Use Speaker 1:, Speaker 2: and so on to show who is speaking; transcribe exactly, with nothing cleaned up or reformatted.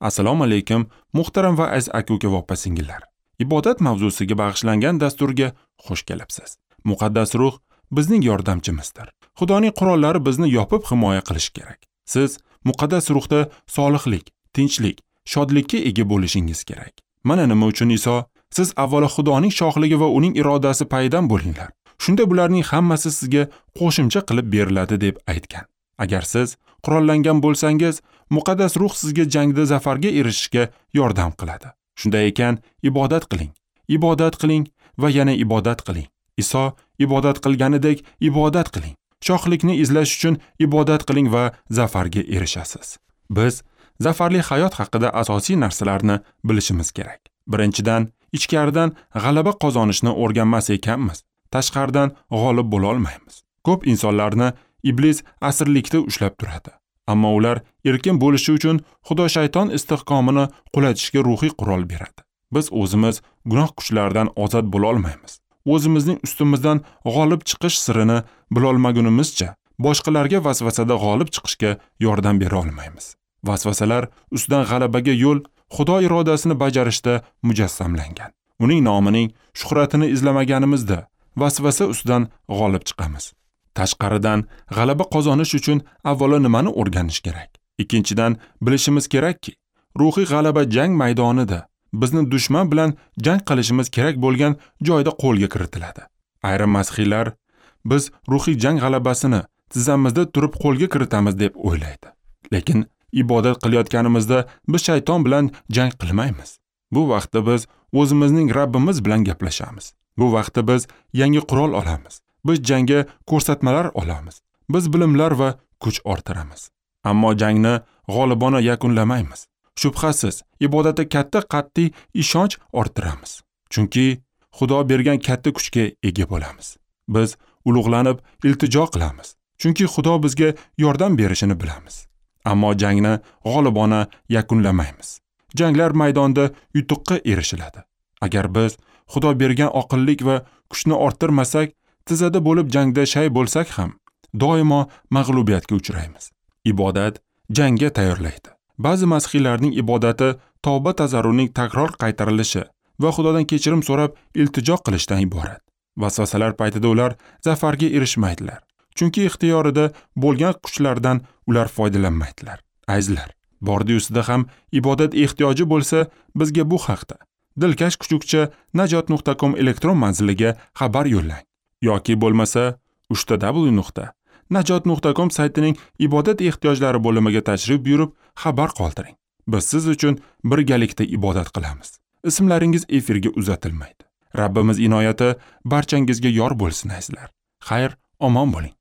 Speaker 1: Assalomu alaykum, muhtaram va aziz aka-uka va opa-singillar. Ibodat mavzusiga bag'ishlangan dasturga xush kelibsiz. Muqaddas ruh bizning yordamchimizdir. Xudoning qurollari bizni yopib himoya qilishi kerak. Siz muqaddas ruhda solihlik, tinchlik, shodlikka ega bo'lishingiz kerak. Mana nima uchun Iso, siz avvalo Xudoning shohligi va uning irodasi payidan bo'linglar. Shunda bularning hammasi sizga qo'shimcha qilib beriladi deb aytgan. Agar siz qurollangan bo'lsangiz, muqaddas ruh sizga jangda zafarga erishishga yordam qiladi. Shunday ekan, ibodat qiling, ibodat qiling va yana ibodat qiling. Iso ibodat qilganidek ibodat qiling. Shohlikni izlash uchun ibodat qiling va zafarga erishasiz. Biz zafarli hayot haqida asosiy narsalarni bilishimiz kerak. Birinchidan, ichkaridan g'alaba qozonishni o'rganmas ekanmiz, tashqaridan g'olib bo'la olmaymiz. Ko'p insonlarni iblis asirlikda ushlab turadi. Ammo ular erkin bo'lishi uchun Xudo shayton istehkomini qulatishga ruhiy qurol beradi. Biz o'zimiz gunoh kuchlaridan ozod bo'la olmaymiz. O'zimizning ustimizdan g'olib chiqish sirini bilolmagunimizcha boshqalarga vasvasada g'olib chiqishga yordam bera olmaymiz. Vasvasalar ustidan g'alabaga yo'l Xudo irodasini bajarishda mujassamlangan. Uning nomining shuhratini izlamaganimizda vasvasa ustidan g'olib chiqamiz. Tashqaridan g'alaba qozonish uchun avvalo nimani o'rganish kerak? Ikkinchidan, bilishimiz kerakki, ruhiy g'alaba jang maydonida bizni dushman bilan jang qilishimiz kerak bo'lgan joyda qo'lga kiritiladi. Ayrim masihiylar biz ruhiy jang g'alabasini tizzamizda turib qo'lga kiritamiz deb o'ylaydi. Lekin ibodat qilayotganimizda biz shayton bilan jang qilmaymiz. Bu vaqtda biz o'zimizning Rabbimiz bilan gaplashamiz. Bu vaqtda biz yangi qurol olamiz. Biz jangga ko'rsatmalar olamiz. Biz bilimlar va kuch orttiramiz. Ammo jangni g'olibona yakunlamaymiz. Shubhasiz, ibodatda katta qat'iy ishonch orttiramiz. Chunki Xudo bergan katta kuchga ega bo'lamiz. Biz ulug'lanib iltijo qilamiz. Chunki Xudo bizga yordam berishini bilamiz. Ammo jangni g'olibona yakunlamaymiz. Janglar maydonida yutuqqa erishiladi. Agar biz Xudo bergan oqillik va kuchni orttirmasak, tizada bo'lib jangda shay bo'lsak ham, doimo mag'lubiyatga uchraymiz. Ibodat jangga tayyorlaydi. Ba'zi masihiylarning ibodati tavba tazarruning takror qaytarilishi va Xudodan kechirim so'rab iltijo qilishdan iborat. Vasvasalar paytida ular zafarga erishmaydilar. Chunki ixtiyorida bo'lgan kuchlardan ular foydalanmaydilar. Azizlar, bordi-ustida ham ibodat ehtiyoji bo'lsa, bizga bu haqda dilkash kuchukcha najot nuqta com elektron manziliga xabar yo'llang. Yoki bo'lmasa uchta w nuqta najot nuqta com saytining ibodat ehtiyojlari bo'limiga tashrif buyurib xabar qoldiring. Biz siz uchun birgalikda ibodat qilamiz. Ismlaringiz efirga uzatilmaydi. Rabbimiz inoyati barchangizga yor bo'lsin azizlar. Xayr, omon bo'ling.